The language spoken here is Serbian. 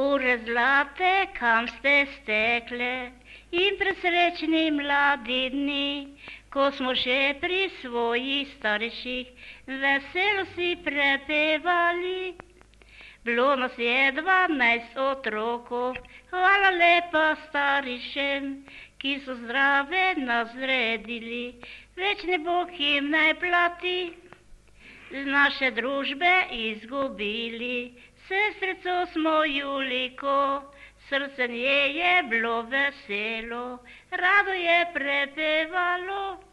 Ure zlate, kam ste stekle, in presrečni mladi dni, ko smo še pri svojih starših veselo si prepevali. Bilo nas je 12 otrokov, hvala lepa staršem, ki so zdrave nas zredili, večni Bog jim naj plati. Z naše družbe izgubili sestrico smo Juliko, srce nje je bilo veselo, rado je prepevalo.